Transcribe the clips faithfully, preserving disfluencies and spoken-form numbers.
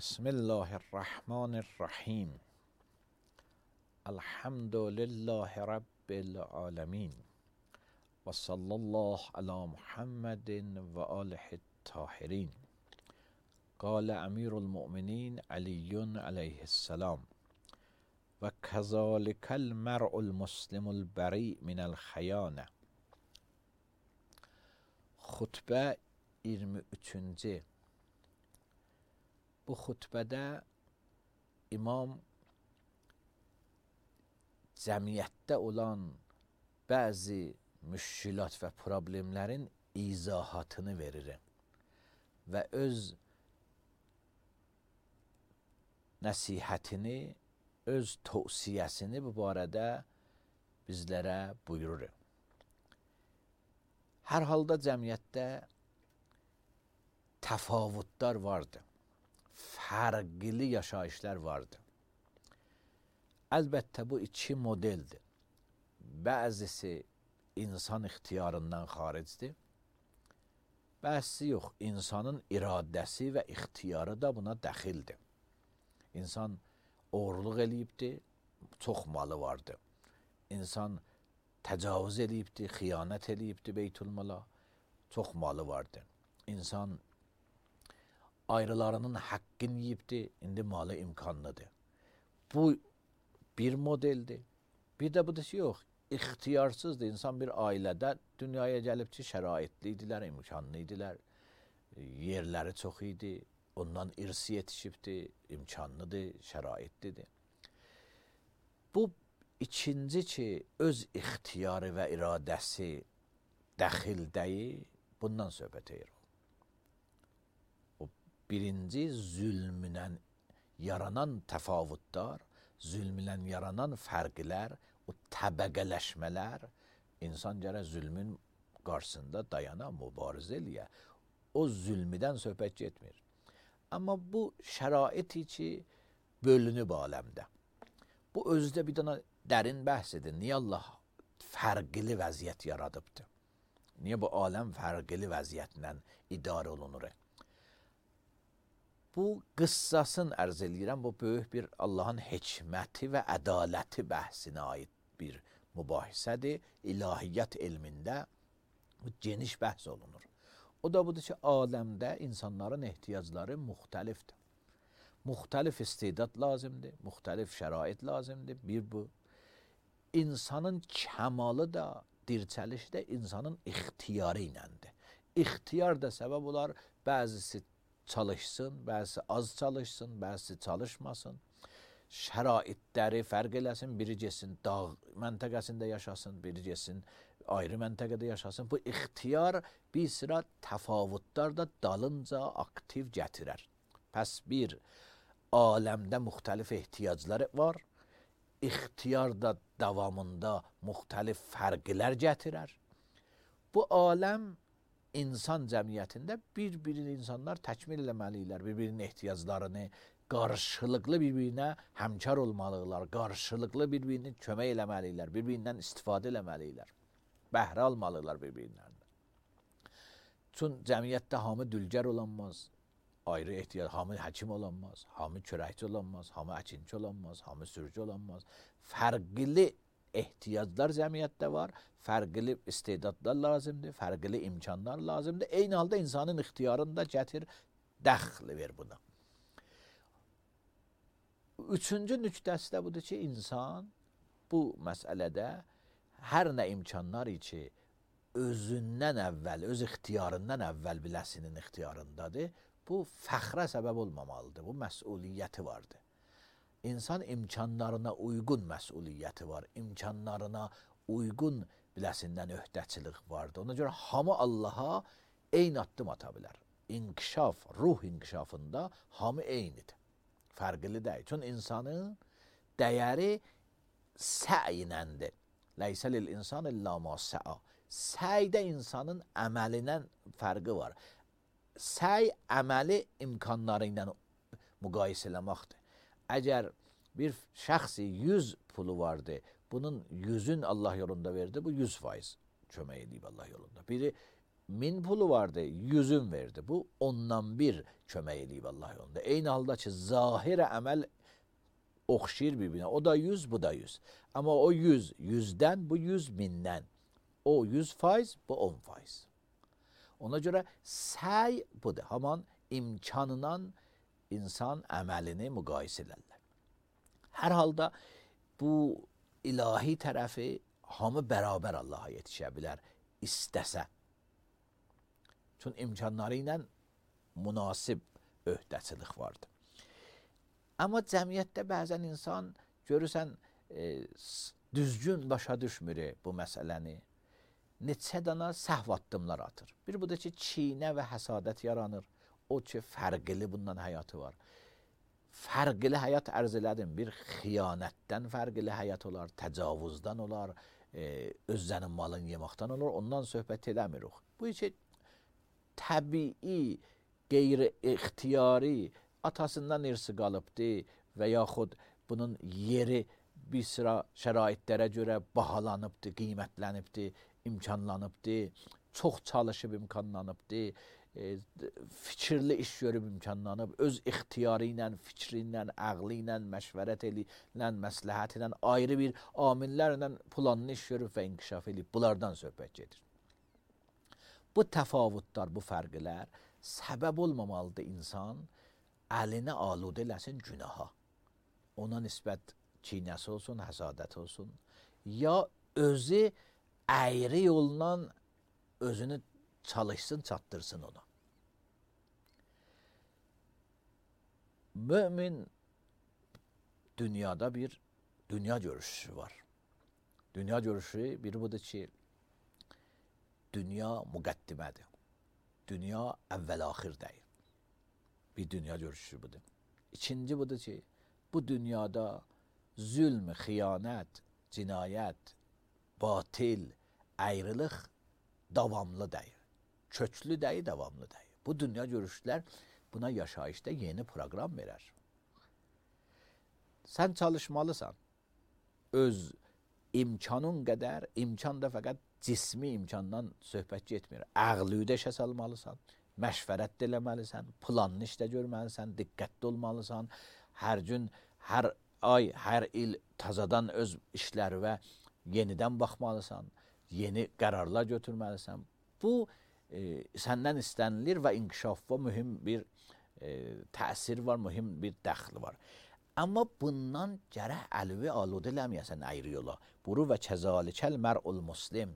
بسم الله الرحمن الرحیم. الحمد لله رب العالمین و صلی الله علی محمد و آله الطاهرین. قال امیر المؤمنین علی علیه السلام: و کذالک المرء المسلم البریء من الخیانه. Xutbə iyirmi üçüncü. Bu xutbədə imam cəmiyyətdə olan bəzi müşkilat və problemlərin izahatını verir və öz nəsihətini, öz tövsiyəsini bu barədə bizlərə buyurur. Hər halda cəmiyyətdə təfavütlər vardır, fərqli yaşayışlar vardır. Əlbəttə bu iki modeldir. Bəzisi insan ixtiyarından xaricdir, bəzisi yox, insanın iradəsi və ixtiyarı da buna dəxildir. İnsan oğurluq eləyibdir, çox malı vardır. İnsan təcavüz eləyibdir, xiyanət eləyibdir beytülmala, çox malı vardır. İnsan ayrılarının haqqını yiyibdir, indi malı imkanlıdır. Bu bir modeldir. Bir də budur ki, yox, ixtiyarsızdır. İnsan bir ailədə dünyaya gəlib ki, şəraitli idilər, imkanlı idilər, yerləri çox idi, ondan irsi yetişibdir, imkanlıdır, şəraitlidir. Bu İkinci ki, öz ixtiyarı və iradəsi dəxildəyi, bundan söhbət edir. O birinci zülmünlə yaranan təfavütlər, zülmünlə yaranan fərqlər, o təbəqələşmələr, insan gərək zülmün qarşısında dayana, mübarizə eləyə. O zülmüdən söhbət getmir. Amma bu şəraiti ki, bölünüb aləmdə. Bu özdə bir dana dərin bəhs edir. Niyə Allah fərqli vəziyyət yaradıbdır? Niyə bu aləm fərqli vəziyyətlə idarə olunur? Bu qıssasını ərz eləyirəm. Bu böyük bir Allahın hikməti və ədaləti bəhsinə aid bir mübahisədir. İlahiyyat elmində bu geniş bəhs olunur. O da budur ki, aləmdə insanların ehtiyacları müxtəlifdir. Müxtəlif istedad lazımdır, müxtəlif şərait lazımdır. Bir bu. İnsanın kəmalı da, dirçəlişi də insanın ixtiyarı iləndir. İxtiyar da səbəb olar, bəzisi çalışsın, bəzisi az çalışsın, bəzisi çalışmasın. Şəraitləri fərq eləsin, biri getsin dağ məntəqəsində yaşasın, biri getsin ayrı məntəqədə yaşasın. Bu ixtiyar bir sıra təfavütlər da dalınca aktiv gətirər. Pəs bir, aləmdə müxtəlif ehtiyacları var. İxtiyar da davamında müxtəlif fərqlər gətirər. Bu aləm insan cəmiyyətində bir-birini insanlar təkmil eləməliyirlər. Bir-birinin ehtiyaclarını qarşılıqlı bir-birinə həmkar olmalıdırlar. Qarşılıqlı bir-birini kömək eləməliyirlər. Bir-birindən istifadə eləməliyirlər. Bəhrə almalıdırlar bir-birindən. Çün cəmiyyətdə hamı dülgər olanmaz. Ayrı ehtiyac, hamı həkim olanmaz, hamı çörəkçi olanmaz, hamı əkinçi olanmaz, hamı sürücü olanmaz. Fərqli ehtiyaclar cəmiyyətdə var, fərqli istedadlar lazımdır, fərqli imkanlar lazımdır. Eyni halda insanın ixtiyarını da gətir, dəxli ver buna. Üçüncü nüqtəsi də budur ki, insan bu məsələdə hər nə imkanlar ki, özündən əvvəl, öz ixtiyarından əvvəl biləsinin ixtiyarındadır. Bu fəxrə səbəb olmamalıdır. Bu məsuliyyəti vardır. İnsan imkanlarına uyğun məsuliyyəti var. İmkanlarına uyğun biləsindən öhdəçilik vardır. Ona görə hamı Allaha eyni addım ata bilər. İnkişaf, ruh inkişafında hamı eynidir. Fərqli deyil. Çünki insanın dəyəri sə'inəndir. Leysə lil insan illa ma sə'a. Səydə insanın əməlindən fərqi var. Səy əməli imkanları ilə müqayisə eləməkdir. Əgər bir şəxsi yüz pulu vardı, bunun yüzün Allah yolunda verdi, bu yüz faiz kömək edib Allah yolunda. Biri min pulu vardı, yüzün verdi. Bu ondan bir kömək eləyib Allah yolunda. Eyni halda ki, zahir əməl oxşayır bir-birinə. O da yüz, bu da yüz. Amma o yüz yüzdən, bu yüz mindən. O yüz faiz, bu on faiz. Ona görə səy budur. Haman imkanından insan əməlini müqayisə edirlər. Hər halda bu ilahi tərəfi hamı bərabər Allaha yetişə bilər, istəsə. Çünki imkanları ilə münasib öhdəçilik vardır. Amma cəmiyyətdə bəzən insan görürsən e, düzgün başa düşmür bu məsələni. Neçə dana səhv addımlar atır. Bir bu da ki, çiynə və həsadət yaranır. O ki, fərqli bundan həyatı var. Fərqli həyat ərz elədim. Bir xiyanətdən fərqli həyat olar, təcavüzdən olar, e, özlənin malını yeməkdən olur. Ondan söhbət edəmirik. Bu ki, təbii, qeyri-ixtiyari, atasından irsi qalıbdı və yaxud bunun yeri bir sıra şəraitlərə görə bahalanıbdı, qiymətlənibdi, imkanlanıbdı, çox çalışıb imkanlanıbdı, e, fikirli iş görüb imkanlanıb, öz ixtiyarı ilə, fikri ilə, ağlı ilə, məşvərət ilə, məsləhət ilə, ayrı bir amillərlə planlı iş görüb və inkişaf edib. Bunlardan söhbət gedir. Bu təfavütlər, bu fərqlər səbəb olmamalıdır insan əlini aludə eləsin günaha. Ona nisbət çiynəsi olsun, həsadət olsun. Ya özü əyri yolla özünü çalışsın, çatdırsın ona. Mömin dünyada bir dünya görüşü var. Dünya görüşü biri budur ki, dünya müqəddimədir. Dünya əvvəl-axir deyil. Bir dünya görüşü budur. İkinci budur ki, bu dünyada zülm, xiyanət, cinayət, batil, ayrılıq davamlı deyil. Köklü deyil, davamlı deyil. Bu dünya görüşlər buna yaşayışda yeni proqram verər. Sən çalışmalısan. Öz imkanın qədər, imkan da fəqət cismi imkandan söhbət getmir. Əqlüdə işə salmalısan, məşvərət eləməlisən, planlı işdə görməlisən, diqqətli olmalısan. Hər gün, hər ay, hər il tazadan öz işlərinə yenidən baxmalısan, yeni qərarlar götürməlisən. Bu e, səndən istənilir və inkişafda mühüm bir e, təsir var, mühüm bir dəxli var. Amma bundan gərək əlvi aludə eləməyəsən ayrı yola. Buru və kəzalikəl mər'ul muslim,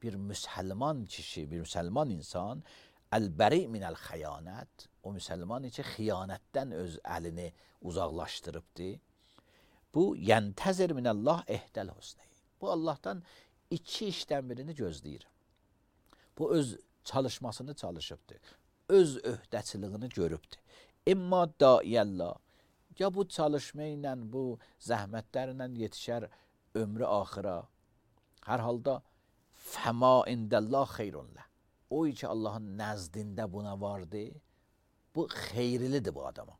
bir müsəlman kişi, bir müsəlman insan, əl-bəri minəl xəyanət, o müsəlman ki, xiyanətdən öz əlini uzaqlaşdırıbdır. Bu, yəntəzir minəllah ehdəl husnəyi. Bu, Allahdan iki işdən birini gözləyir. Bu, öz çalışmasını çalışıbdır. Öz öhdəçiliyini görübdür. İmma daiyəllah, ya bu çalışma ilə, bu zəhmətlərlə yetişər ömrü axıra. Hər halda fəma indəllah xeyrunlə. O ki Allahın nəzdində buna vardı, bu xeyrilidir bu adama.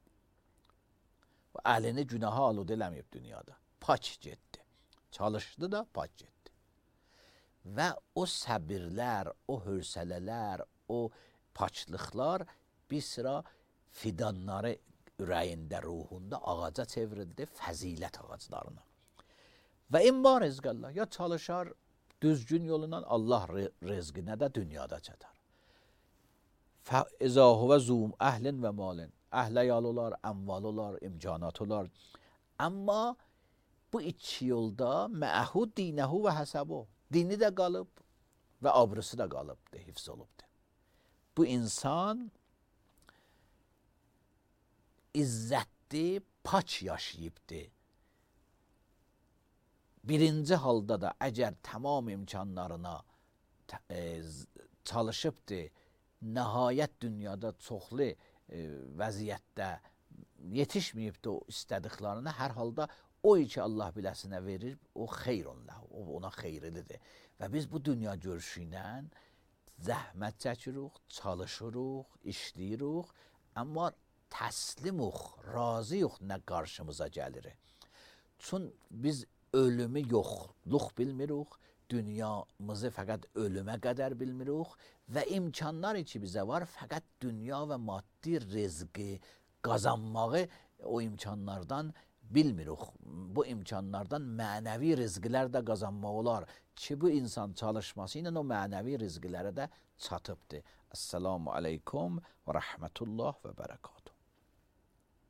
Bu əlini günaha aludə eləməyib dünyada. Pak getdi. Çalışdı da pak getdi. Və o səbirlər, o hövsələlər, o paklıqlar bir sıra fidanları ürəyində, ruhunda ağaca çevrildi, fəzilət ağaclarına. Və imma rizqəllah, ya çalışar düzgün yolundan Allah rizqinə də dünyada çatar. Fəizə huvə zum əhlin və malin, əhlə yal olar, əmval olar, imkanat olar. Amma bu iki yolda məəhu dinəhu və həsəbu, dini də qalıb və abrısı da qalıbdır, hifz olubdur. Bu insan izzətli, paç yaşayıbdır. Birinci halda da əgər tamam imkanlarına e, çalışıbdır, nəhayət dünyada çoxlu e, vəziyyətdə yetişməyibdir o istədiklarına, hər halda o ki Allah biləsinə verir, o xeyrunlah, o ona xeyrilidir. Və biz bu dünya görüşü ilə zəhmət çəkirik, çalışırıq, işləyirik, amma təslimuq, razıyıq nə qarşımıza gəlir. Çün biz ölümü yoxluq bilmirik, dünyamızı fəqət ölümə qədər bilmirik və imkanlar ki bizə var, fəqət dünya və maddi rizqi qazanmağı o imkanlardan bilmirik. Bu imkanlardan mənəvi rizqlər də qazanmaq olar ki, bu insan çalışması ilə o mənəvi rizqlərə də çatıbdır. Esselamu aleykum və rəhmətullah və bərəkət.